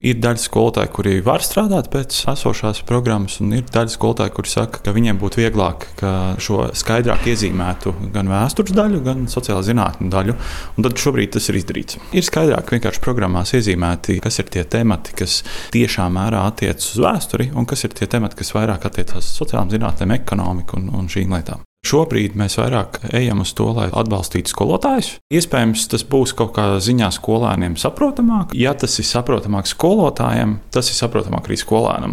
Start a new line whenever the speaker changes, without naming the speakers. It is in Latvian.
Ir daļa skolotāju, kuri var strādāt pēc esošās programmas, un ir daļa skolotāju, kuri saka, ka viņiem būtu vieglāk, ka šo skaidrāk iezīmētu gan vēstures daļu, gan sociālo zinātņu daļu. Un tad šobrīd tas ir izdarīts. Ir skaidrāk vienkārši programmās iezīmēti, kas ir tie temati, kas tiešā mērā attiecas uz vēsturi, un kas ir tie temati, kas vairāk attiecas uz sociālām zinātnēm, ekonomiku un šīm lietām. Šobrīd mēs vairāk ejam uz to, lai atbalstītu skolotājus. Iespējams, tas būs kaut kādā ziņā skolēniem saprotamāk. Ja tas ir saprotamāk skolotājiem, tas ir saprotamāk arī skolēnam.